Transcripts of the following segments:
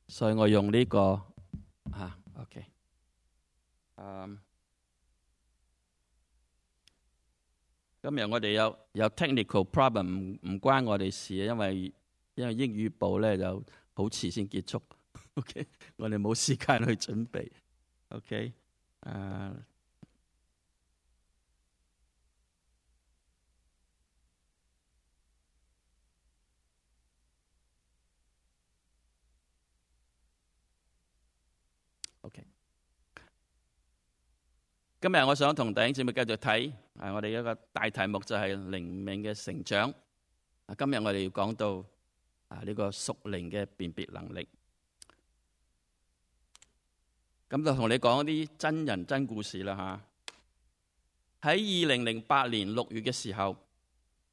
所以我用呢個OK。今日我哋有 technical problem， 唔關我哋事，因為英語部咧就好遲先結束。OK， 我哋冇時間去準備。OK，OK。今日我想同弟兄姊妹繼續睇，我哋一個大題目就係靈命嘅成長。今日我哋要講到呢個屬靈嘅辨別能力。咁就同你講一啲真人真故事啦吓。喺2008年6月嘅時候，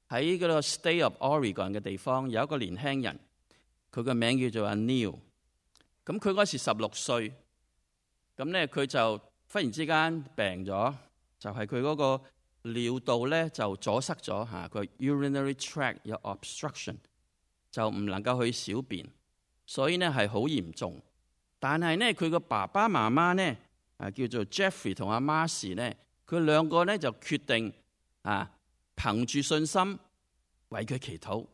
喺嗰個 State of Oregon 嘅地方，有一個年輕人，佢個名叫做阿 Neil。咁佢嗰時16歲，咁咧佢就忽然之間病咗，就係佢嗰個尿道咧就阻塞咗嚇，佢 urinary tract 有 obstruction， 就唔能夠去小便，所以呢係好嚴重。但係呢，佢個爸爸媽媽呢叫做 Jeffrey 同阿 Marcy 呢，佢兩個呢就決定憑住信心為佢祈禱，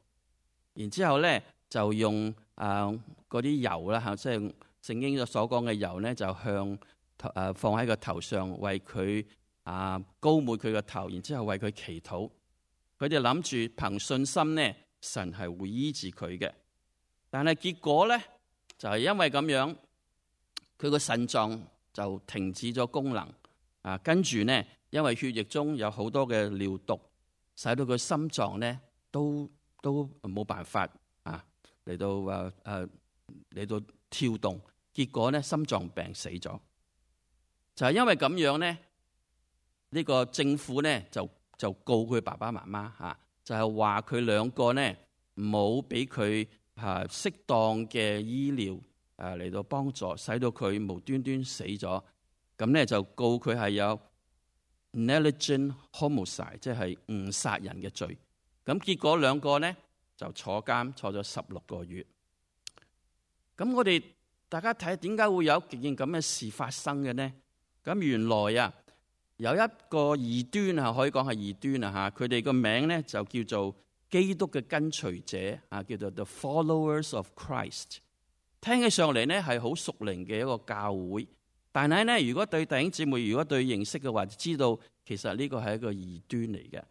然之後呢就用嗰啲油啦嚇，即係聖經所講嘅油呢，就向放喺個頭上，為佢膏抹佢個頭，然之後為佢祈禱。佢哋諗住憑信心呢，神係會醫治佢嘅。但係結果呢，就係因為咁樣，佢個腎臟就停止咗功能。跟住呢，因為血液中有好多嘅尿毒，使到佢心臟呢都冇辦法嚟到跳動。結果呢，心臟病死咗。就係因為咁樣咧，呢個政府咧就告佢爸爸媽媽就係話佢兩個咧冇俾佢適當嘅醫療嚟到幫助，使到佢無端端死咗。咁咧就告佢係有 negligent homicide， 即係誤殺人嘅罪。咁結果兩個咧就坐監坐咗16個月。咁我哋大家睇點解會有件咁嘅事發生嘅呢？咁原來有一個異端可以講係異端佢哋個名咧就叫做基督嘅跟隨者叫做 The Followers of Christ。聽起上嚟咧係好屬靈嘅一個教會，但係咧如果對弟兄姊妹如果對認識嘅話，就知道其實呢個係一個異端嚟嘅。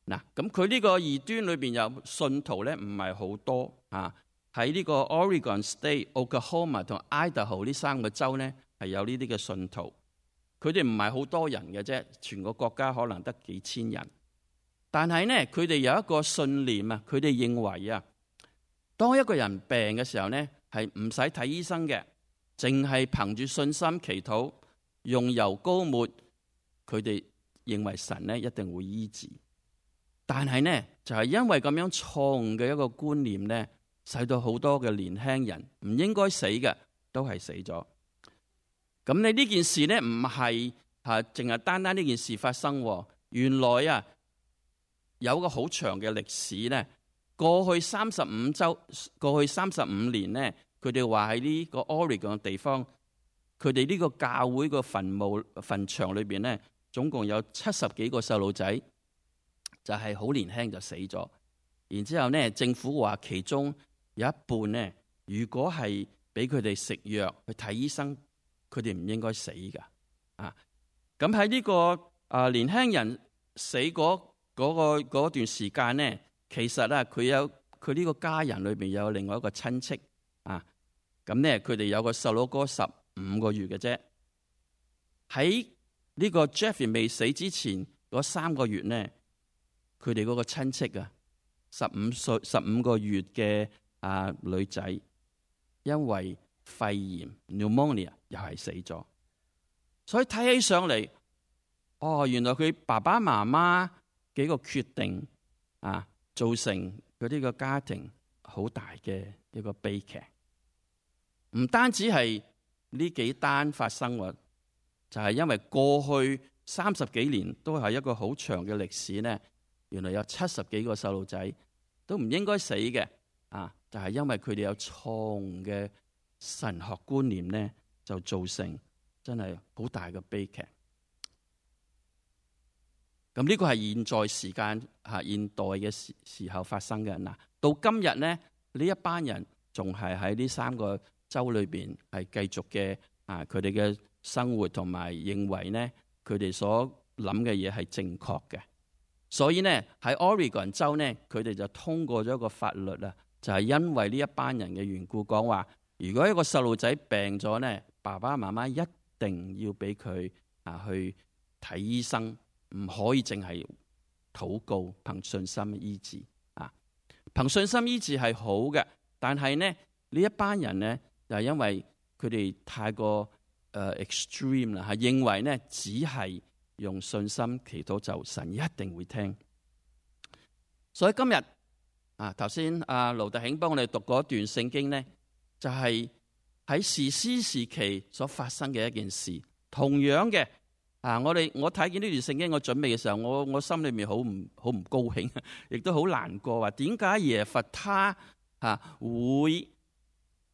嗱，咁佢呢個異端裏邊有信徒咧唔係好多喺呢個 Oregon State、Oklahoma 同 Idaho 呢3個州咧係有呢啲嘅信徒。佢哋唔係好多人嘅啫，全個國家可能得幾千人。但係呢，佢哋有一個信念佢哋認為當一個人病嘅時候呢，係唔使睇醫生嘅，淨係憑住信心祈禱，用油膏抹，佢哋認為神呢一定會醫治。但係呢，就係因為咁樣錯誤嘅一個觀念呢，使到好多嘅年輕人唔應該死嘅都係死咗。咁你呢件事呢，唔係淨係單單呢件事發生。原來有個好長嘅歷史呢。過去35年呢，佢哋話喺呢個 Oregon 嘅地方，佢哋呢個教會個墳場裏邊呢，總共有70幾個細路仔，就係好年輕就死咗。然之後呢，政府話其中有一半呢，如果係俾佢哋食藥去睇醫生，佢哋唔應該死噶。咁喺呢個年輕人死嗰段時間呢，其實佢呢個家人裏邊有另外一個親戚咁呢，佢哋有個細佬哥15個月嘅啫。喺呢個 Jeffrey 未死之前嗰3個月呢，佢哋嗰個親戚15個月嘅女仔，因為肺炎 pneumonia 又係死咗。所以睇起上嚟，原來佢爸爸媽媽幾個決定造成嗰啲個家庭好大嘅一個悲劇。唔單止係呢幾單發生，就係因為過去30幾年都係一個好長嘅歷史呢。原來有70幾個細路仔都唔應該死嘅，就係因為佢哋有錯誤嘅神學觀念呢，就造成真係好大嘅悲劇。咁呢個係現在時間現代嘅時候發生嘅。嗱，到今日呢，呢一班人仲係喺呢3個州裏邊係繼續嘅佢哋嘅生活，同埋認為呢佢哋所諗嘅嘢係正確嘅。所以呢喺 Oregon 州呢，佢哋就通過咗一個法律啊，就係因為呢一班人嘅緣故，講話如果一個細路仔病咗呢，爸爸媽媽一定要俾佢去睇醫生。唔可以淨係禱告，憑信心醫治啊！憑信心醫治係好嘅，但係呢一班人呢，就因為佢哋太過extreme 啦，係認為呢只係用信心祈禱就神一定會聽。所以今日頭先盧特慶幫我哋讀嗰段聖經呢，就係喺士師時期所發生嘅一件事，同樣嘅。我睇見呢段聖經，我準備嘅時候，我心裏面好唔高興，亦都好難過。話點解耶弗他會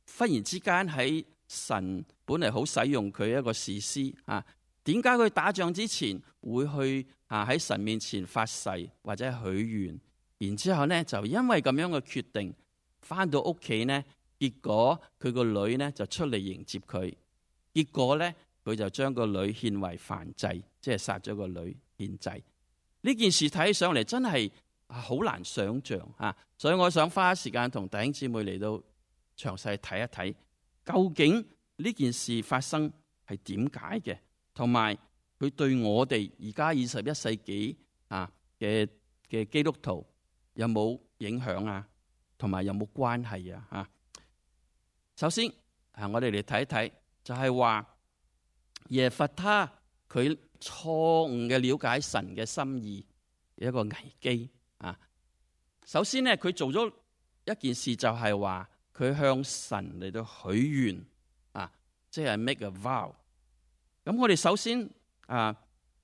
忽然之間喺神本嚟好使用佢一個士師啊？點解佢打仗之前會去喺神面前發誓或者許願，然之後呢就因為咁樣嘅決定，翻到屋企呢，結果佢個女呢就出嚟迎接佢，結果呢。佢就將個女獻為燔祭，即係殺咗個女獻祭。呢件事睇起上嚟真係好難想像，所以我想花時間同弟兄姊妹嚟到詳細睇一睇，究竟呢件事發生係點解嘅，同埋佢對我哋而家21世紀嘅基督徒有冇影響啊？同埋有冇關係啊？首先我哋嚟睇一睇，就係話。耶弗他佢錯誤嘅了解神嘅心意，一個危機啊！首先呢，佢做咗一件事，就係話佢向神嚟到許願即係 make a vow。咁我哋首先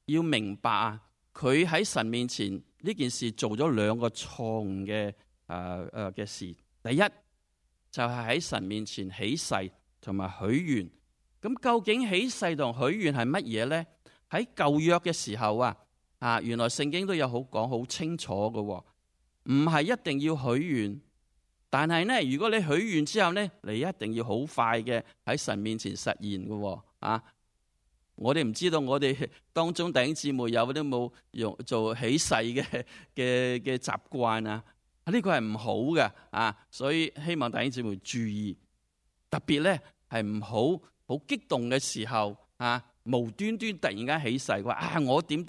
要明白佢喺神面前呢件事做咗2個錯誤嘅事。第一就係喺神面前起誓同埋許願。咁究竟起誓同許願係乜嘢咧？喺舊約嘅時候原來聖經都有講好清楚嘅，唔係一定要許願，但係呢，如果你許願之後呢，你一定要好快嘅喺神面前實現嘅。我哋唔知道我哋當中弟兄姊妹有啲冇用做起誓嘅習慣啊？呢個係唔好嘅所以希望弟兄姊妹注意，特別咧係唔好。好激動嘅時候無端端突然間起誓話我點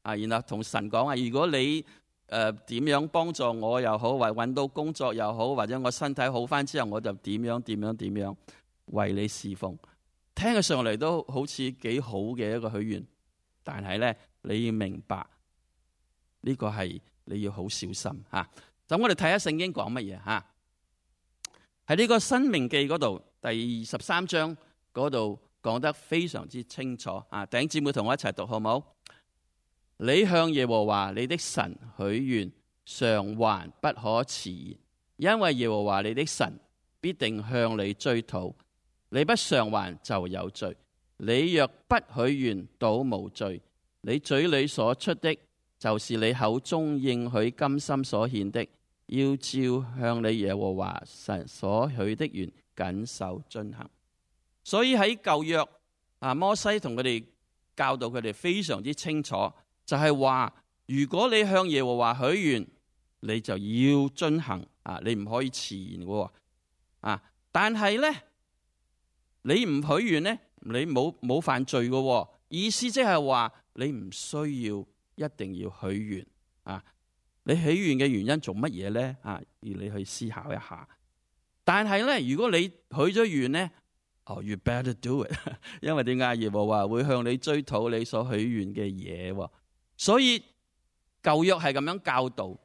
然後同神講如果你點樣幫助我又好，或搵到工作又好，或者我身體好返之後，我就點樣為你侍奉。聽起上嚟都好似幾好嘅一個許願，但係咧你要明白呢個係你要好小心咁我哋睇下聖經講乜嘢喺呢個申命記嗰度第13章。嗰度講得非常之清楚弟兄姊妹同我一齊讀好唔好？你向耶和華你的神許願，償還不可遲延，因為耶和華你的神必定向你追討，你不償還就有罪。你若不許願，倒無罪。你嘴裏所出的，就是你口中應許甘心所獻的，要照向你耶和華神所許的願謹守遵行。所以喺舊約摩西同佢哋教導佢哋非常之清楚，就係話如果你向耶和華許願，你就要遵行你唔可以遲延嘅但係咧你唔許願咧，你冇犯罪嘅意思，即係話你唔需要一定要許願你許願嘅原因做乜嘢咧要你去思考一下。但係咧，如果你許咗願咧you better do it 因為點解？耶和華會向你追討你所許願嘅嘢，所以舊約係咁樣教導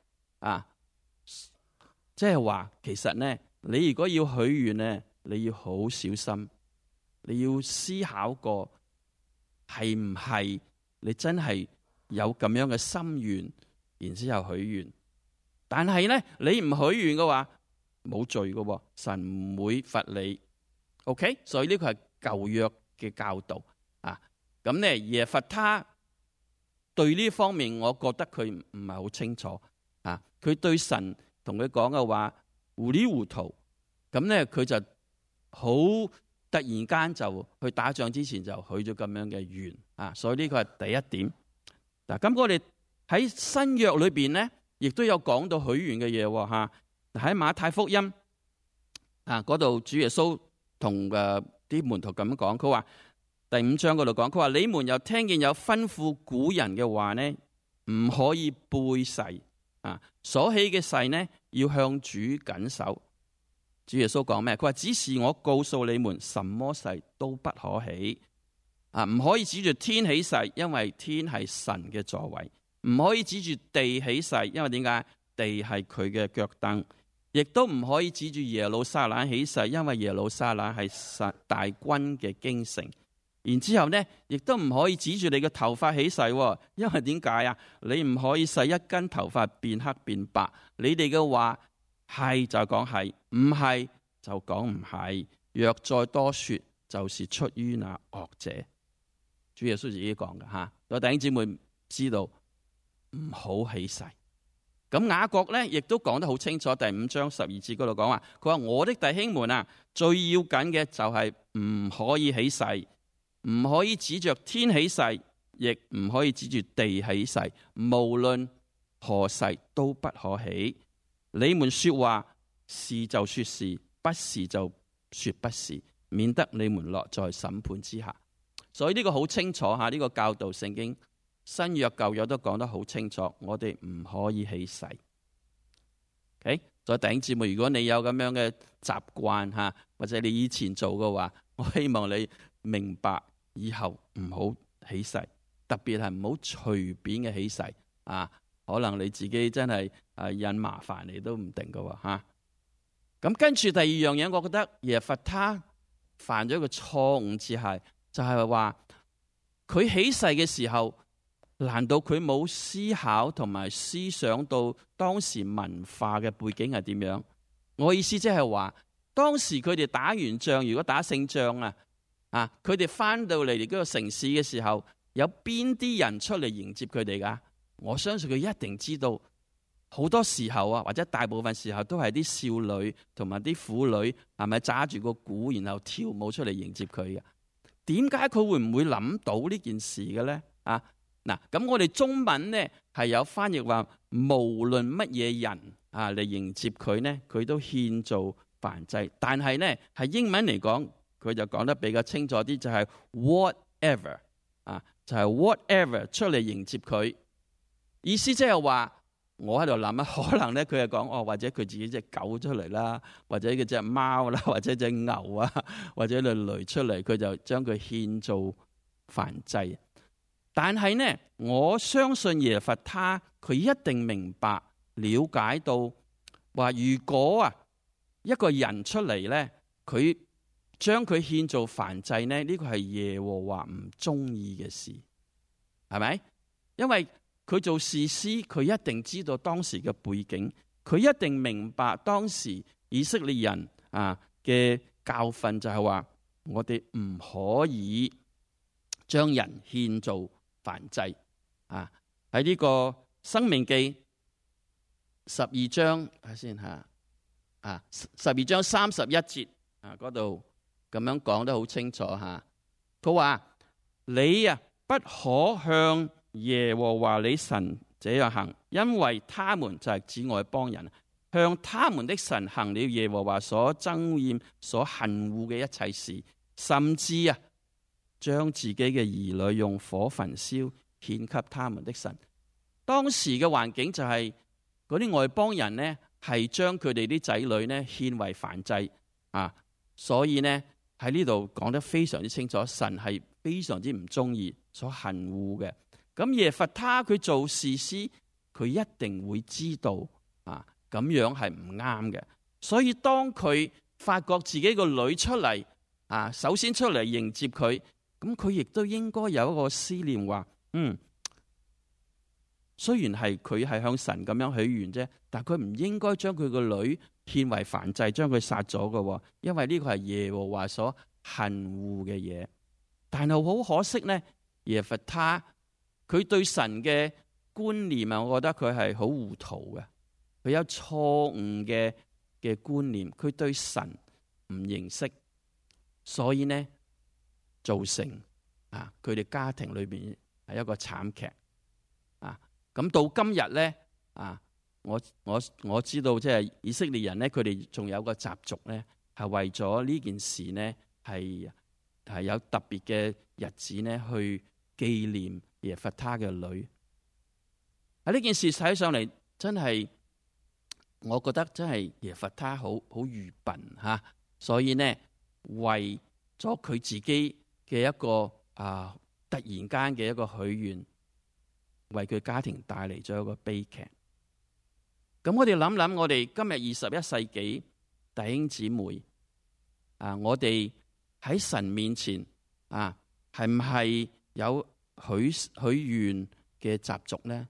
即係話其實呢，你如果要許願呢，你要好小心，你要思考過係唔係你真係有咁樣嘅心願，然之後許願。但係呢，你唔許願嘅話冇罪嘅，神唔會罰你。OK， 所以呢個係舊約嘅教導啊。咁咧耶弗他對呢方面，我覺得佢唔係好清楚啊。佢對神同佢講嘅話糊裡糊塗，咁咧佢就好突然間就去打仗之前就許咗咁樣嘅願啊。所以呢個係第一點。嗱，咁我哋喺新約裏邊咧，亦都有講到許願嘅嘢吓。喺馬太福音啊嗰度，主耶穌同啲門徒咁樣講，佢話第5章嗰度講，佢話你們又聽見有吩咐古人嘅話呢，唔可以背誓啊，所起嘅誓呢要向主謹守。主耶穌講咩？佢話只是我告訴你們，什麼誓都不可起啊，唔可以指住天起誓，因為天係神嘅座位；唔可以指住地起誓，因為點解？地係佢嘅腳凳。亦都唔可以指住耶路撒冷起誓，因為耶路撒冷係大軍嘅京城。然之後呢，亦都唔可以指住你嘅頭髮起誓，因為點解啊？你唔可以使一根頭髮變黑變白。你哋嘅話係就講係，唔係就講唔係。若再多說，就是出於那惡者。主耶穌自己講嘅吓，我弟兄姊妹知道唔好起誓。咁雅各咧，亦都講得好清楚，第5章12節嗰度講話，佢話我的弟兄們啊，最要緊嘅就係唔可以起誓，唔可以指着天起誓，亦唔可以指住地起誓，無論何誓都不可起。你們說話是就說是，不是就說不是，免得你們落在審判之下。所以呢個好清楚吓，呢個教導聖經。新約舊約都講得好清楚，我哋唔可以起誓。OK， 所以弟兄姊妹，如果你有咁樣嘅習慣吓，或者你以前做嘅話，我希望你明白以後唔好起誓，特別係唔好隨便嘅起誓啊！可能你自己真係引麻煩你都唔定㗎吓。咁跟住第二樣嘢，我覺得耶弗他犯咗一個錯誤就係話佢起誓嘅時候。難道佢冇思考同埋思想到當時文化嘅背景係點樣？我意思即係話，當時佢哋打完仗，如果打勝仗啊，佢哋翻到嚟嗰個城市嘅時候，有邊啲人出嚟迎接佢哋噶？我相信佢一定知道，好多時候啊，或者大部分時候都係啲少女同埋啲婦女，係咪揸住個鼓然後跳舞出嚟迎接佢嘅？點解佢會唔會諗到呢件事嘅咧？啊？嗱，咁我哋中文呢係有翻譯話，無論乜嘢人嚟迎接佢呢，佢都獻做燔祭。但係呢係英文嚟講，佢就講得比較清楚啲，就係 whatever 就係 whatever 出嚟迎接佢。意思即係話，我喺度諗啊，可能呢佢係講或者佢自己隻狗出嚟啦，或者佢隻貓啦，或者隻牛啊，或者隻驢出嚟，佢就將佢獻做燔祭。但係呢，我相信耶弗他佢一定明白了解到話，如果一個人出嚟呢，佢將佢獻做燔祭呢，呢個係耶和華唔中意嘅事，係咪？因為佢做士師，佢一定知道當時嘅背景，佢一定明白當時以色列人嘅教訓，就係話我哋唔可以將人獻做燔祭喺呢個申命記12章睇先吓12章31節嗰度咁樣講得好清楚吓，佢話你不可向耶和華你神這樣行，因為他們就係指外邦人，向他們的神行了耶和華所憎厭所恨惡嘅一切事，甚至將自己嘅兒女用火焚燒，獻給他們的神。當時嘅環境就係嗰啲外邦人呢，係將佢哋啲仔女呢獻為燔祭所以呢喺呢度講得非常之清楚，神係非常之唔中意，所恨惡嘅。咁耶弗他佢做士師，佢一定會知道咁樣係唔啱嘅。所以當佢發覺自己個女出嚟首先出嚟迎接佢。咁佢亦都應該有一個思念，話雖然係佢係向神咁樣許願啫，但佢唔應該將佢個女獻為燔祭，將佢殺咗嘅，因為呢個係耶和華所恨惡嘅嘢。但係好可惜呢，耶弗他佢對神嘅觀念啊，我覺得佢係好糊塗嘅，佢有錯誤嘅觀念，佢對神唔認識，所以呢造成佢哋家庭裏邊係一個慘劇啊。咁到今日呢我知道即係以色列人呢，佢哋仲有個習俗呢，係為咗呢件事呢，係有特別嘅日子呢去紀念耶弗他嘅女。喺呢件事睇上嚟，真係我覺得真係耶弗他好愚笨吓，所以呢為咗佢自己嘅一個突然間嘅一個許願，為佢家庭帶嚟咗一個悲劇。咁我哋諗諗，我哋今日21世紀弟兄姊妹我哋喺神面前係唔係有許願嘅習俗呢？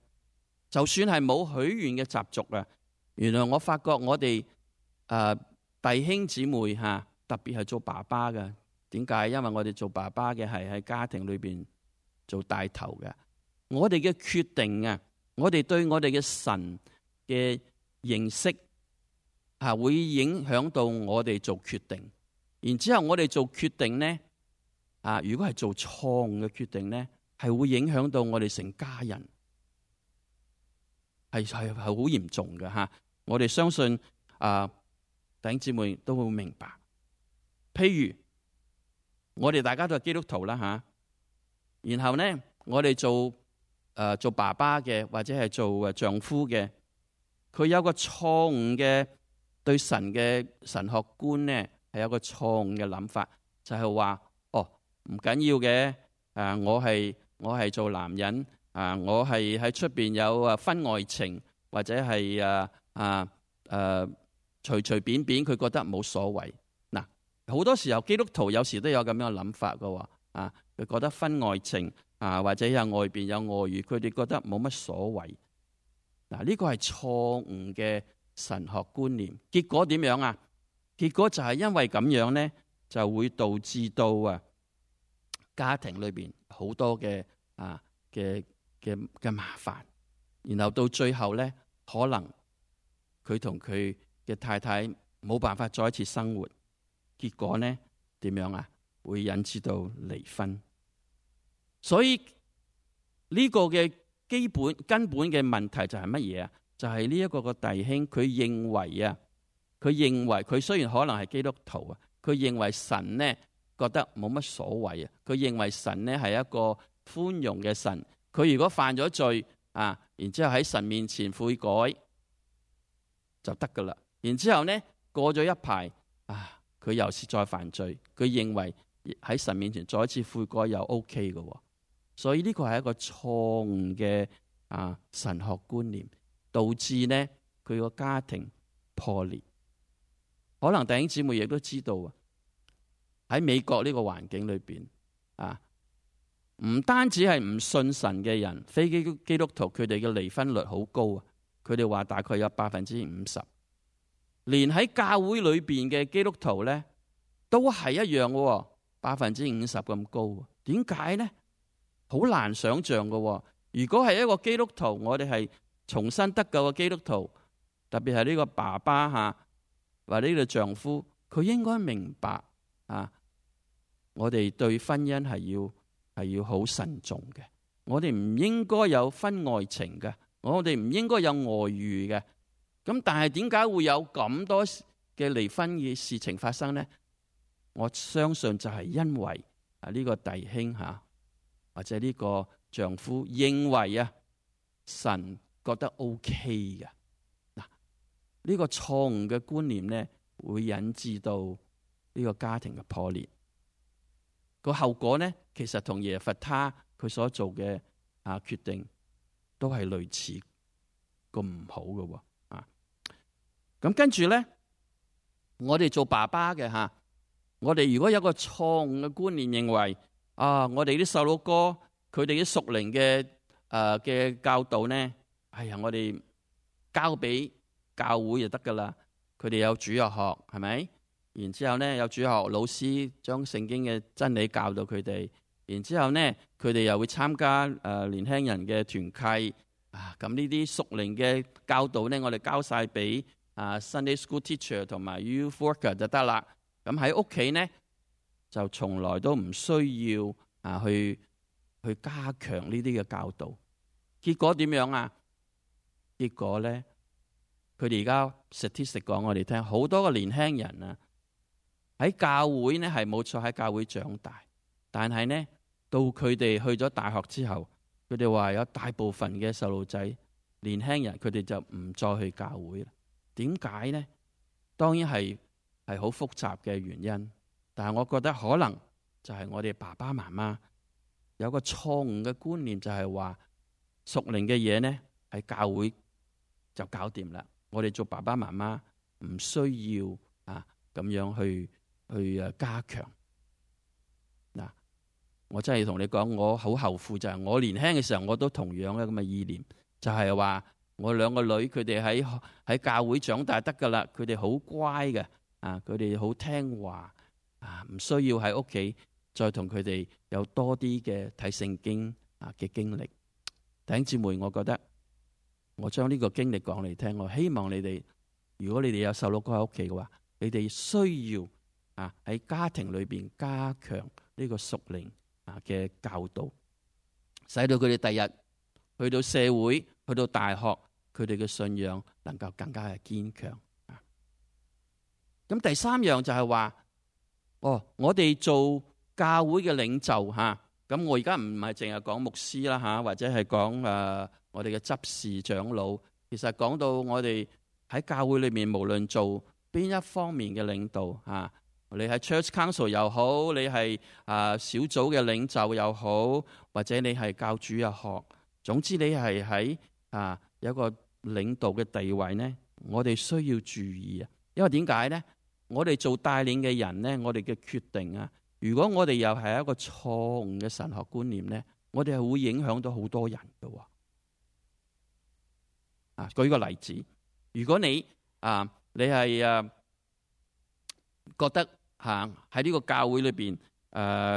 就算係冇許願嘅習俗原來我發覺我哋弟兄姊妹特別係做爸爸嘅，點解？因為我哋做爸爸嘅係喺家庭裏邊做帶頭嘅，我哋嘅決定我哋對我哋嘅神嘅認識會影響到我哋做決定，然之後我哋做決定呢如果係做錯誤嘅決定呢，係會影響到我哋成家人，係好嚴重嘅我哋相信弟兄姊妹都會明白。譬如我哋大家都係基督徒啦然後呢我哋做爸爸嘅或者係做丈夫嘅，佢有個錯誤嘅對神嘅神學觀呢，係有個錯誤嘅諗法，就係話唔緊要嘅我係做男人我係喺出邊有婚外情，或者係隨隨便便佢覺得冇所謂。嗱，好多時候基督徒有時都有咁樣嘅諗法㗎佢覺得婚外情或者有外邊有外遇，佢哋覺得冇乜所謂。嗱，呢個係錯誤嘅神學觀念。結果點樣啊？結果就係因為咁樣呢，就會導致到家庭裏邊好多嘅麻煩，然後到最後呢，可能佢同佢嘅太太冇辦法再一次生活，結果呢點樣啊？會引致到離婚。所以呢個嘅根本嘅問題就係乜嘢啊？就係呢一個弟兄佢認為佢雖然可能係基督徒佢認為神呢覺得冇乜所謂佢認為神呢係一個寬容嘅神，佢如果犯咗罪然之後喺神面前悔改就得噶啦。然之後呢過咗一排佢又是再犯罪，佢認為喺神面前再一次悔改又 OK 嘅。所以呢個係一個錯誤嘅神學觀念，導致呢佢個家庭破裂。可能弟兄姊妹亦都知道喺美國呢個環境裏邊唔單止係唔信神嘅人，非基督徒，佢哋嘅離婚率好高佢哋話大概有50%，連喺教會裏邊嘅基督徒呢都係一樣嘅，50%咁高。點解呢？好難想象嘅。如果係一個基督徒，我哋係重新得救嘅基督徒，特別係呢個爸爸或者呢個丈夫，佢應該明白我哋對婚姻係要好慎重嘅。我哋唔應該有婚外情嘅，我哋唔應該有外遇嘅。咁但係點解會有咁多嘅離婚嘅事情發生呢？我相信就係因為呢個弟兄或者呢個丈夫認為神覺得 OK 嘅。呢個錯誤嘅觀念呢，會引致到呢個家庭嘅破裂。個後果呢，其實同耶弗他佢所做嘅決定都係類似咁唔好嘅。咁跟住呢，我哋做爸爸嘅我哋如果有個錯誤嘅觀念，認為我哋啲細路哥佢哋啲屬靈嘅教導呢，我哋交俾教會就得噶啦。佢哋有主日學，係咪？然之後呢，有主日學老師將聖經嘅真理教導佢哋。然之後呢，佢哋又會參加年輕人嘅團契。咁呢啲屬靈嘅教導呢，我哋交晒俾Sunday School Teacher 同埋 Youth Worker 就得啦。咁喺屋企呢，就從來都唔需要去加強呢啲嘅教導。結果點樣啊？結果呢，佢哋而家 statistic 講我哋聽，好多個年輕人啊喺教會呢係冇錯喺教會長大，但係呢，到佢哋去咗大學之後，佢哋話有大部分嘅細路仔年輕人佢哋就唔再去教會啦。點解呢？當然係好複雜嘅原因，但係我覺得可能就係我哋爸爸媽媽有個錯誤嘅觀念，就係話屬靈嘅嘢呢喺教會就搞掂啦。我哋做爸爸媽媽唔需要咁樣去加強。嗱，我真係同你講，我好後悔，就係我年輕嘅時候我都同樣嘅咁嘅意念，就係話我兩個女佢哋喺教會長大得噶啦，佢哋好乖嘅，佢哋好聽話，唔需要喺屋企再同佢哋有多啲嘅睇聖經嘅經歷。弟兄姊妹，我覺得我將呢個經歷講嚟聽，我希望你哋，如果你哋有細路哥喺屋企嘅話，你哋需要喺家庭裏邊加強呢個屬靈嘅教導，使到佢哋第日去到社會、去到大學，佢哋嘅信仰能夠更加嘅堅強。咁第三樣就係話，我哋做教會嘅領袖咁我而家唔係淨係講牧師啦或者係講我哋嘅執事長老。其實講到我哋喺教會裏面，無論做邊一方面嘅領導你係 Church Council 又好，你係小組嘅領袖又好，或者你係教主日學，總之你係喺有一個領導嘅地位呢，我哋需要注意因為點解呢？我哋做帶領嘅人呢，我哋嘅決定如果我哋又係一個錯誤嘅神學觀念呢，我哋係會影響到好多人嘅。舉個例子，如果你係覺得喺呢個教會裏邊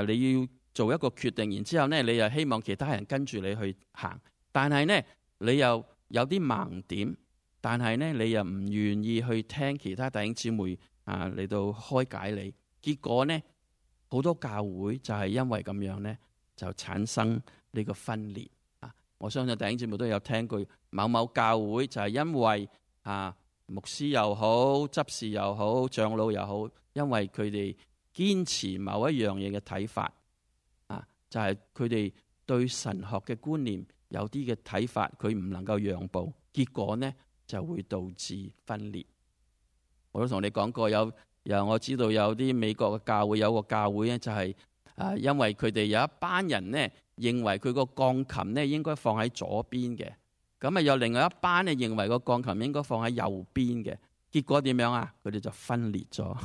你要做一個決定，然之後呢，你又希望其他人跟住你去行，但係呢，你又有啲盲點，但係呢，你又唔願意去聽其他弟兄姊妹嚟到開解你，結果呢，好多教會就係因為咁樣呢，就產生呢個分裂。我相信弟兄姊妹都有聽過某某教會就係因為牧師又好、執事又好、長老又好，因為佢哋堅持某一樣嘢嘅睇法就係佢哋對神學嘅觀念有啲嘅睇法，佢唔能夠讓步，結果呢就會導致分裂。我都同你講過，我知道有啲美國嘅教會，有個教會咧就係因為佢哋有一班人呢認為佢個鋼琴呢應該放喺左邊嘅，咁有另外一班呢認為個鋼琴應該放喺右邊嘅，結果點樣啊？佢哋就分裂咗，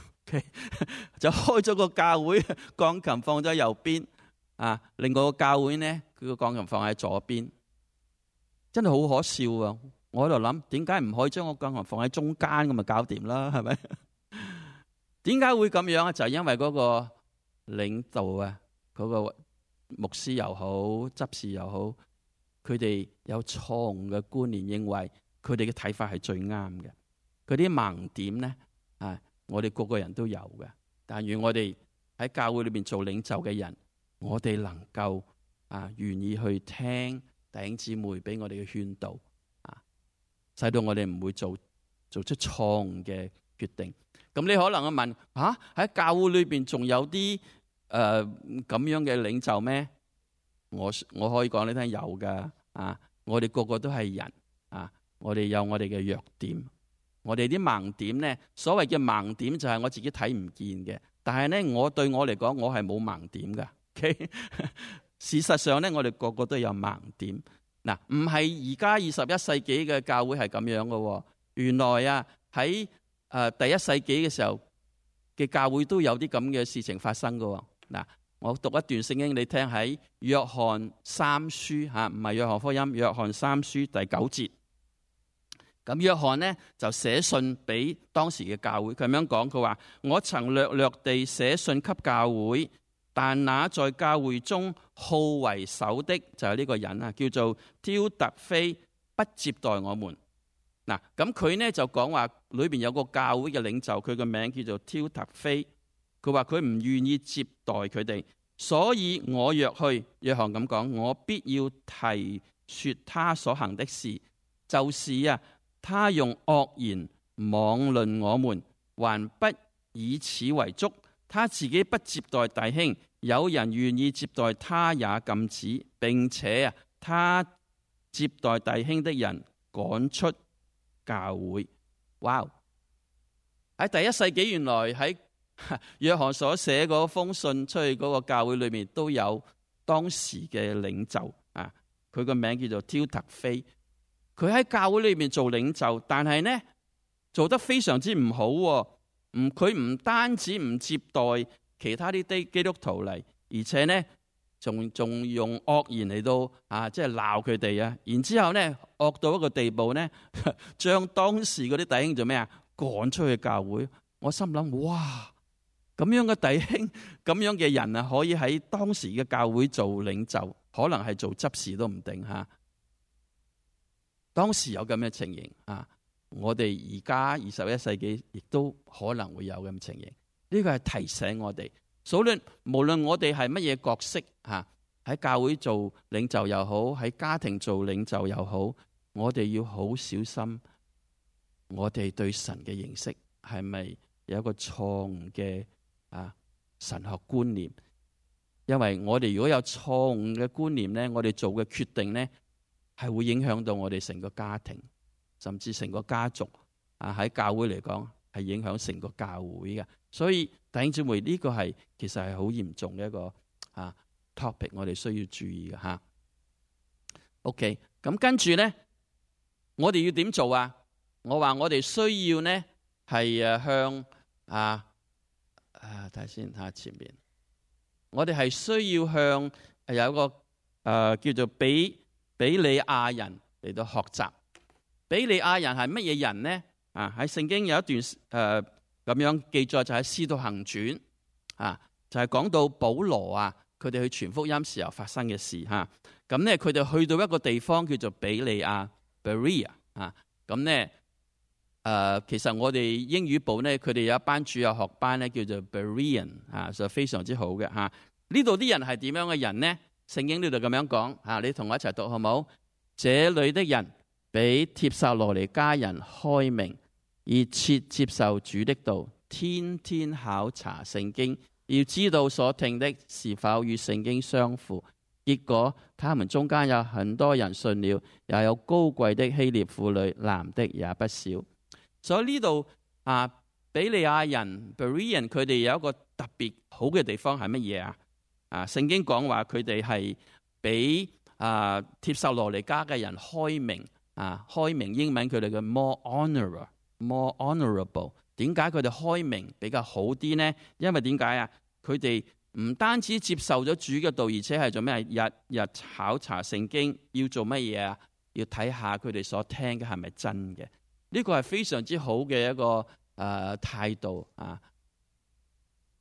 就開咗個教會，鋼琴放咗右邊，另外個教會呢佢個鋼琴放喺左邊，真係好可笑啊！我喺度諗，點解唔可以將個鋼琴放喺中間咁咪搞掂啦？係咪？點解會咁樣啊？就係因為嗰個領導嗰個牧師又好、執事又好，佢哋有錯誤嘅觀念，認為佢哋嘅睇法係最啱嘅。佢啲盲點呢，我哋個個人都有嘅。但願我哋喺教會裏邊做領袖嘅人，我哋能夠願意去聽弟兄姊妹俾我哋嘅勸導，使到我哋唔會做出錯誤嘅決定。咁你可能會問喺教會裏邊仲有啲咁樣嘅領袖咩？我可以講你聽，有噶。我哋個個都係人我哋有我哋嘅弱點，我哋啲盲點呢，所謂嘅盲點就係我自己睇唔見嘅，但係呢，對我嚟講，我係冇盲點噶。Okay? 事實上呢，我哋個個都有盲點。唔係而家21世紀嘅教會係咁樣噶。原來喺第1世紀嘅時候嘅教會都有啲咁嘅事情發生噶。我讀一段聖經你聽，喺約翰3書唔係約翰福音，約翰3書第9節。咁約翰呢就寫信俾當時嘅教會，佢咁樣講，佢話：我曾略略地寫信給教會，但那在教會中好為首的就係呢個人啊，叫做丟特腓，不接待我們。嗱，咁佢呢就講話裏邊有個教會嘅領袖，佢個名叫做丟特腓，佢話佢唔願意接待佢哋，所以我若去，約翰咁講，我必要提說他所行的事，就是啊，他用惡言妄論我們，還不以此為足。他自己不接待弟兄，有人願意接待他也禁止，並且啊，他接待弟兄的人趕出教會。哇！喺第一世紀，原來喺約翰所寫嗰封信出去嗰個教會裏面，都有當時嘅領袖啊。佢個名叫做丟特腓，佢喺教會裏面做領袖，但係呢做得非常之唔好。佢唔單止唔接待其他啲基督徒嚟，而且呢仲用惡言嚟到即係鬧佢哋啊。然之後呢惡到一個地步呢，將當時嗰啲弟兄做咩啊？趕出去教會。我心諗，哇！咁樣嘅弟兄，咁樣嘅人啊，可以喺當時嘅教會做領袖，可能係做執事都唔定吓。當時有咁嘅情形啊！我哋而家21世紀亦都可能會有咁嘅情形，呢個係提醒我哋，無論我哋係乜嘢角色吓，喺教會做領袖又好，喺家庭做領袖又好，我哋要好小心，我哋對神嘅認識係咪有一個錯誤嘅神學觀念？因為我哋如果有錯誤嘅觀念呢，我哋做嘅決定呢係會影響到我哋成個家庭，甚至成個家族喺教會嚟講係影響成個教會嘅。所以弟兄姊妹，呢個係其實係好嚴重嘅一個topic， 我哋需要注意嘅吓。OK， 咁跟住呢，我哋要點做啊？我話我哋需要呢係向睇下先下前面，我哋係需要向有一個叫做比利亞人嚟到學習。比利亞人係乜嘢人呢？喺聖經有一段咁樣記載，就喺《使徒行傳》就係講到保羅佢哋去傳福音時候發生嘅事吓。咁呢，佢哋去到一個地方叫做比利亞 Berea 咁呢，其實我哋英語部呢，佢哋有一班主日學班呢，叫做 Berean 就非常之好嘅吓。呢度啲人係點樣嘅人呢？聖經呢度咁樣講你同我一齊讀好冇？這裏的人比帖撒羅尼迦人開明，熱切接受主的道，天天考察聖經，要知道所聽的是否與聖經相符。結果他們中間有很多人信了，也有高貴的希臘婦女，男的也不少。所以呢度比利亞人 Berean 佢哋有一個特別好嘅地方係乜嘢啊？聖經講話佢哋係比帖撒羅尼迦嘅人開明。開明英文佢哋嘅 more honorable。點解佢哋開明比較好啲呢？因為點解佢哋唔單止接受咗主嘅道，而且係做咩？日日考察聖經，要做乜嘢啊？要睇下佢哋所聽嘅係咪真嘅？呢個係非常之好嘅一個態度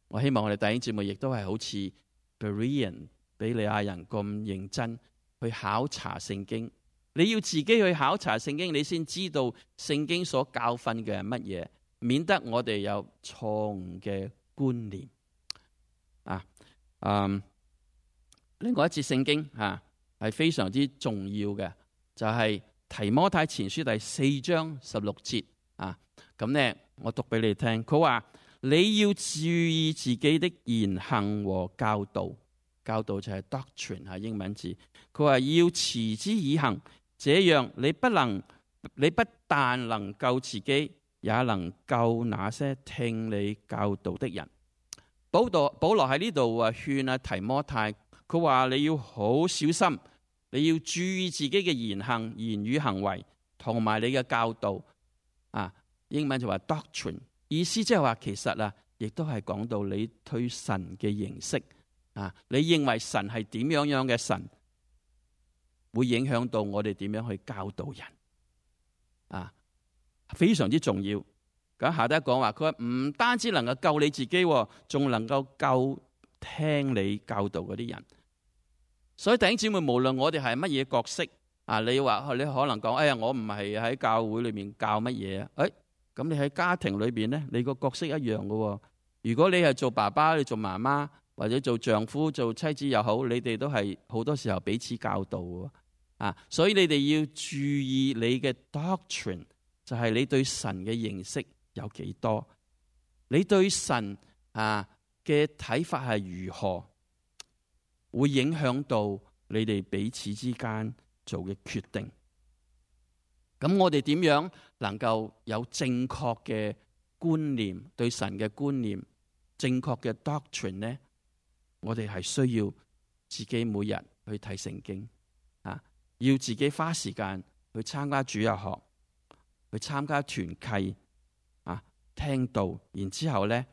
我希望我哋弟兄姊妹亦都係好似 Berean 比利亞人咁認真去考察聖經。你要自己去考察聖經，你先知道聖經所教訓嘅係乜嘢，免得我哋有錯誤嘅觀念。另外一節聖經係非常之重要嘅，就係提摩太前書第4章16節咁呢，我讀俾你聽。佢話你要注意自己的言行和教導，教導就係 doctrine 係英文字。佢話要持之以恆。這樣你不但能救自己，也能救那些聽你教導的人。保羅喺呢度勸提摩太，佢話你要好小心，你要注意自己嘅言語行為，同埋你嘅教導。英文就話 doctrine， 意思即係話其實亦都係講到你對神嘅認識。你認為神係點樣嘅神？會影響到我哋點樣去教導人非常之重要。咁下低講話，佢話唔單止能夠救你自己，仲能夠救聽你教導嗰啲人。所以弟兄姊妹，無論我哋係乜嘢角色啊，你話你可能講，哎呀，我唔係喺教會裏面教乜嘢啊？咁你喺家庭裏邊咧，你個角色一樣嘅。如果你係做爸爸，你做媽媽，或者做丈夫、做妻子又好，你哋都係好多時候彼此教導嘅。所以你哋要注意你嘅 doctrine， 就係你對神嘅認識有幾多，你對神嘅睇法係如何，會影響到你哋彼此之間做嘅決定。咁我哋點樣能夠有正確嘅觀念，對神嘅觀念，正確嘅 doctrine 呢？我哋係需要自己每日去睇聖經，要自己花時間去參加主日學，去參加團契，聽道，然之後呢，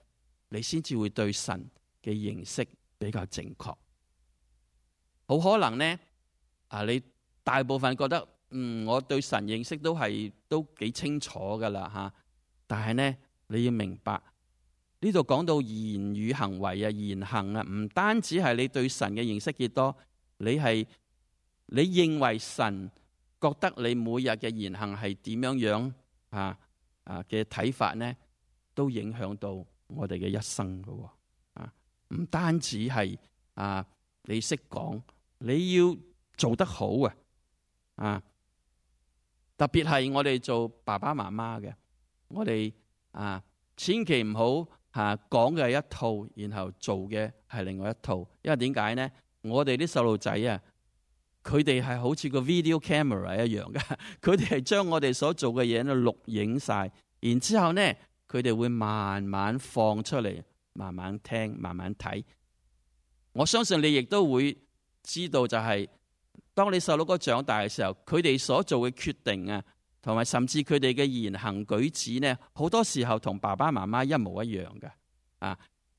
你先至會對神嘅認識比較正確。好可能呢，你大部分覺得，我對神認識都幾清楚噶啦，但係呢，你要明白呢度講到言語行為言行唔單止係你對神嘅認識幾多，你認為神覺得你每日嘅言行係點樣嘅睇法呢，都影響到我哋嘅一生噶。唔單止係你識講，你要做得好特別係我哋做爸爸媽媽嘅，我哋千祈唔好講嘅係一套，然後做嘅係另外一套。因為點解呢？我哋啲細路仔佢哋係好似個 video camera 一樣嘅，佢哋係將我哋所做嘅嘢錄影晒，然之後呢，佢哋會慢慢放出嚟，慢慢聽，慢慢睇。我相信你亦都會知道，就係當你細佬哥長大嘅時候，佢哋所做嘅決定同埋甚至佢哋嘅言行舉止呢，好多時候同爸爸媽媽一模一樣嘅。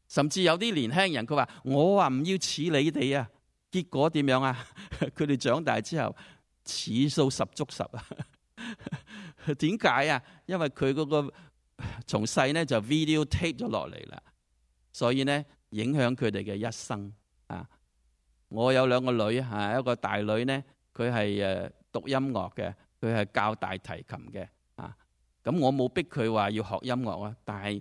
甚至有啲年輕人佢話：我話唔要似你哋結果點樣佢哋長大之後似數十足十點解因為佢嗰個從細呢就 video tape 咗落嚟啦，所以呢影響佢哋嘅一生。我有兩個女，一個大女呢，佢係讀音樂嘅，佢係教大提琴嘅。咁我冇逼佢話要學音樂但係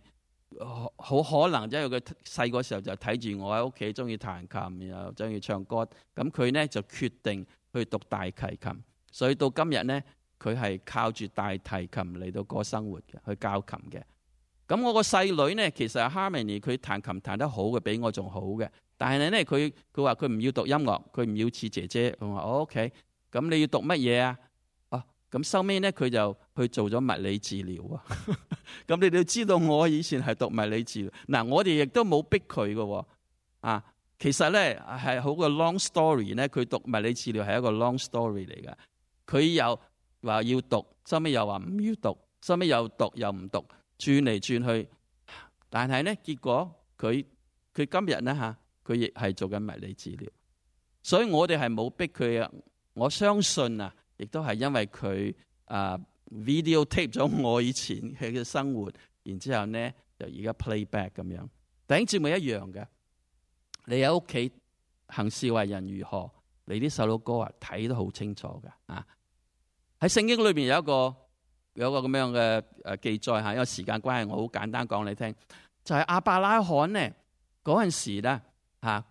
好可能因為佢細個時候就睇住我喺屋企中意彈琴，然後中意唱歌，咁佢呢就決定去讀大提琴，所以到今日呢，佢係靠住大提琴嚟到過生活嘅，去教琴嘅。咁我個細女呢，其實係 Harmony， 佢彈琴彈得好嘅，比我仲好嘅。但係呢，佢話佢唔要讀音樂，佢唔要似姐姐。我話OK，咁你要讀乜嘢咁收尾呢，佢就去做咗物理治療咁你哋知道我以前係讀物理治療。我哋亦都冇逼佢嘅。其實呢係好個 long story 呢，佢讀物理治療係一個 long story 嚟嘅。佢又話要讀，收尾又話唔要讀，收尾又讀又唔讀，轉嚟轉去。但係呢，結果佢今日呢佢亦係做緊物理治療。所以我哋係冇逼佢。我相信亦都係因為佢video tape 咗我以前嘅生活，然之後呢就而家 playback 咁樣。弟兄姊妹一樣嘅，你喺屋企行事為人如何，你啲細佬哥睇得好清楚嘅。喺聖經裏邊有一個咁樣嘅記載，因為時間關係，我好簡單講你聽，就係亞伯拉罕呢嗰陣時咧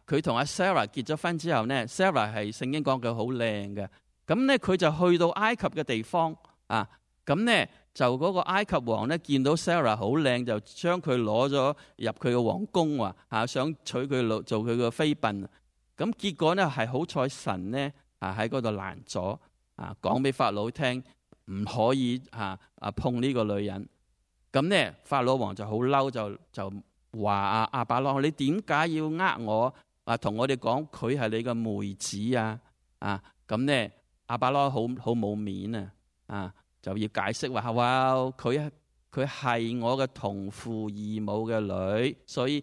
佢同阿 Sarah 結咗婚之後呢， Sarah 係聖經講佢好靚嘅。咁呢，佢就去到埃及嘅地方咁呢，就嗰個埃及王呢見到 Sarah 好靚，就將佢攞咗入佢嘅皇宮，想娶佢做佢嘅妃嬪。咁結果呢係好彩神呢喺嗰度攔咗，講俾法老聽唔可以碰呢個女人。咁呢，法老王就好嬲，就話亞伯拉罕，你點解要我同我哋講佢係你嘅妹子咁呢，亞伯拉罕好冇面就要解釋話佢係我嘅同父異母嘅女，所以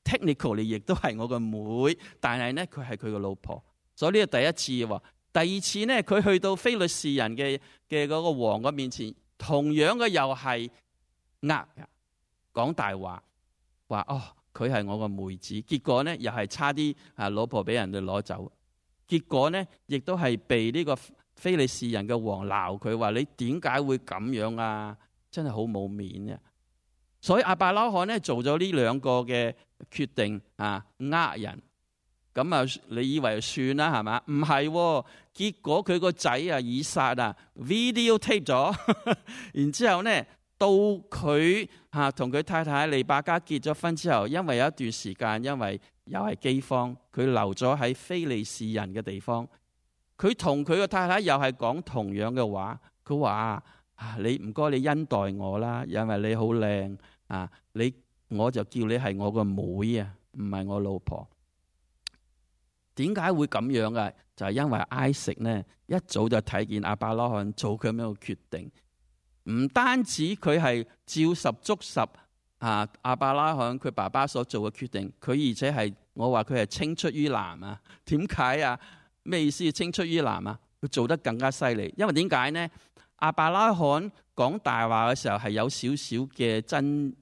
technically 亦都係我嘅妹，但係呢，佢係佢嘅老婆。所以呢個第一次。第二次呢，佢去到非利士人嘅嗰個王嘅面前，同樣嘅又係講大話，話佢係我個妹子，結果呢，又係差啲老婆俾人哋攞走，結果呢，亦都係被呢個非利士人嘅王鬧佢，話你點解會咁樣啊？真係好冇面啊！所以亞伯拉罕呢，做咗呢兩個嘅決定人。咁啊，你以為算啦係嘛？唔係，結果佢個仔以撒video tape 咗，然之後呢，到佢同佢太太利百加結咗婚之後，因為有一段時間，因為又係饑荒，佢留咗喺非利士人嘅地方。佢同佢個太太又係講同樣嘅話，佢話你唔該你恩待我啦，因為你好靚我就叫你係我個妹啊，唔係我老婆。點解會咁樣嘅？就係因為埃食呢，一早就睇見亞伯拉罕做佢咁樣嘅決定，唔單止佢係照十足十亞伯拉罕佢爸爸所做嘅決定，佢而且係我話佢係青出於藍啊！點解啊？咩意思？青出於藍啊？佢做得更加犀利，因為點解呢？亞伯拉罕講大話嘅時候係有少少嘅真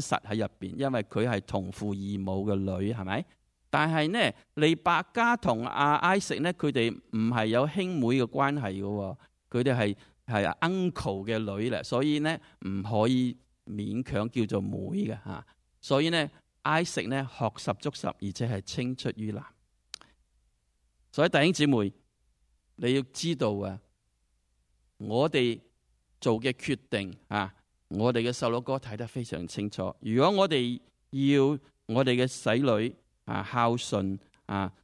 實喺入邊，因為佢係同父異母嘅女，係咪？但係呢，利百加同埃食呢，佢哋唔係有兄妹嘅關係嘅，佢哋係 uncle 嘅女咧，所以呢唔可以勉強叫做妹嘅吓。所以呢，埃食呢學十足十，而且係青出於藍。所以弟兄姊妹，你要知道我哋做嘅決定我哋嘅細佬哥睇得非常清楚。如果我哋要我哋嘅仔女孝順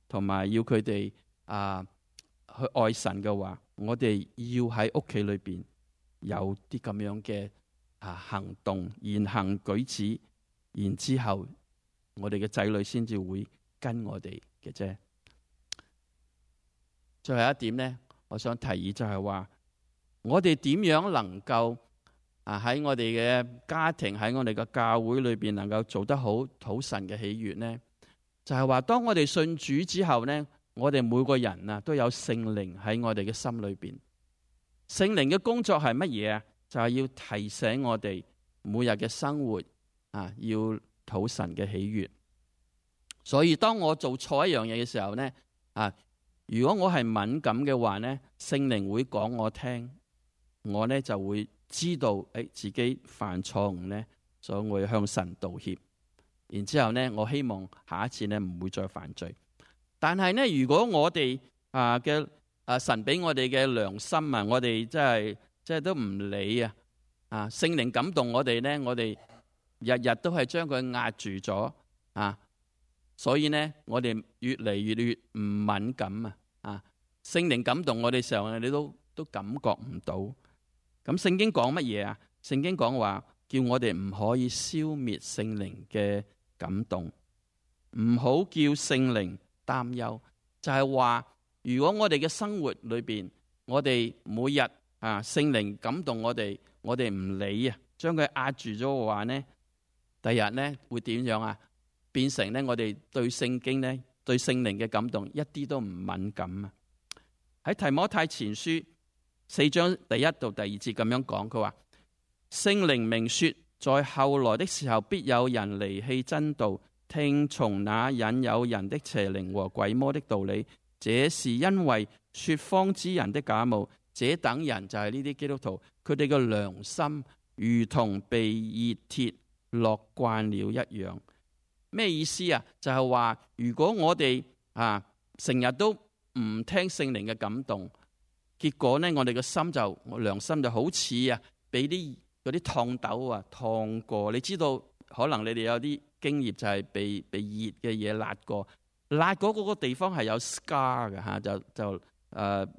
同埋要佢哋去愛神嘅話，我哋要喺屋企裏邊有啲咁樣嘅行動、言行舉止，然之後我哋嘅仔女先至會跟我哋嘅啫。最後一點呢，我想提議就係話，我哋點樣能夠喺我哋嘅家庭、喺我哋嘅教會裏邊能夠做得好，討神嘅喜悅呢？就係話，當我哋信主之後呢，我哋每個人都有聖靈喺我哋嘅心裏邊。聖靈嘅工作係乜嘢啊？就係要提醒我哋每日嘅生活要討神嘅喜悅。所以當我做錯一樣嘢嘅時候呢，如果我係敏感嘅話呢，聖靈會講我聽，我呢就會知道自己犯錯誤呢，所以我要向神道歉。然之後呢，我希望下一次呢唔會再犯罪。但係呢，如果我哋神俾我哋嘅良心我哋即係都唔理聖靈感動我哋呢，我哋日日都係將佢壓住咗所以呢，我哋越嚟越唔敏感聖靈感動我哋時候，你都感覺唔到。咁聖經講乜嘢啊？聖經講話叫我哋唔可以消滅聖靈嘅感動，唔好叫聖靈擔憂。就係話，如果我哋嘅生活裏邊，我哋每日聖靈感動我哋唔理將佢壓住咗嘅話呢，第日呢會點樣啊？變成呢，我哋對聖經呢，對聖靈嘅感動一啲都唔敏感喺提摩太前書4章第1到第2節咁樣講，佢話聖靈明說，在後來的時候，必有人離棄真道，聽從那引誘人的邪靈和鬼魔的道理。這是因為說謊之人的假冒。這等人就係呢啲基督徒，佢哋嘅良心如同被熱鐵烙慣了一樣。咩意思啊？就係話，如果我哋成日都唔聽聖靈嘅感動，結果呢，我哋嘅良心就好似俾啲嗰啲燙斗燙過。你知道，可能你哋有啲經驗就係被熱嘅嘢辣過，辣嗰個地方係有 scar 嘅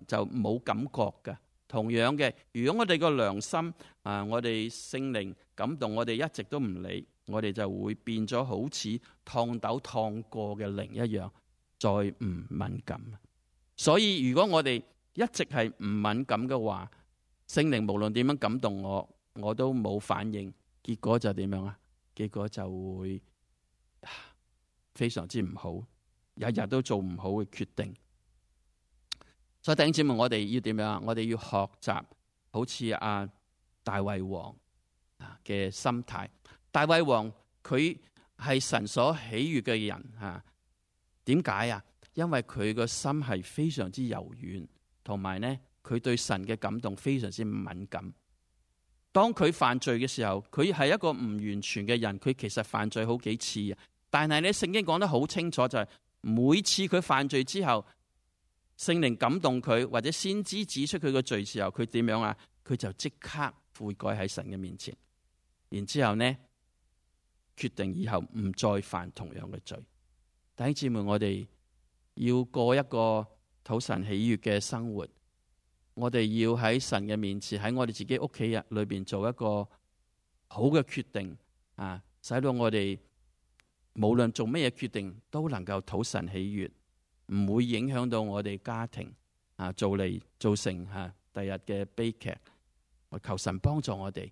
就冇感覺嘅。同樣嘅，如果我哋個良心我哋聖靈感動，我哋一直都唔理，我哋就會變咗好似燙斗燙過嘅靈一樣，再唔敏感。所以如果我哋一直係唔敏感嘅話，聖靈無論點樣感動我都冇反應，結果就點樣啊？結果就會非常之唔好，日日都做唔好嘅決定。所以弟兄姊妹，我哋要點樣啊？我哋要學習好似大衛王嘅心態。大衛王佢係神所喜悅嘅人，點解啊？因為佢個心係非常之柔軟，同埋呢佢對神嘅感動非常之敏感。當佢犯罪嘅時候，佢係一個唔完全嘅人，佢其實犯罪好幾次，但係呢聖經講得好清楚，就係每次佢犯罪之後，聖靈感動佢，或者先知指出佢個罪時候，佢點樣啊？佢就即刻悔改喺神嘅面前，然之後呢決定以後唔再犯同樣嘅罪。弟兄姊妹，我哋要過一個討神喜悅嘅生活，我哋要喺神嘅面前，喺我哋自己屋企人裏邊做一個好嘅決定，使到我哋無論做咩嘢決定都能夠討神喜悅，唔會影響到我哋家庭，造成第日嘅悲劇。我求神幫助我哋，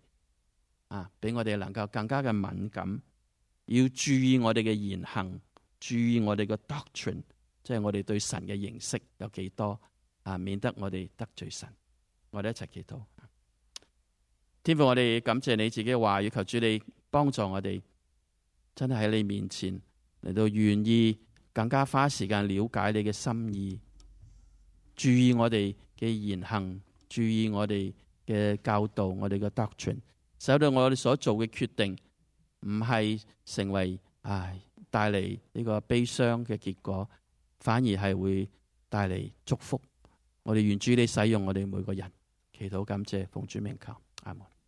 俾我哋能夠更加嘅敏感，要注意我哋嘅言行，注意我哋嘅 doctrine， 即係我哋對神嘅認識有幾多，免得我哋得罪神。我哋一齊祈禱。天父，我哋感謝你自己嘅話語，求主你幫助我哋，真係喺你面前嚟到願意更加花時間了解你嘅心意，注意我哋嘅言行，注意我哋嘅教導，我哋嘅 doctrine， 使到我哋所做嘅決定唔係成為帶嚟呢個悲傷嘅結果，反而係會帶嚟祝福。我哋願主你使用我哋每個人，祈禱感謝奉主名求，阿門。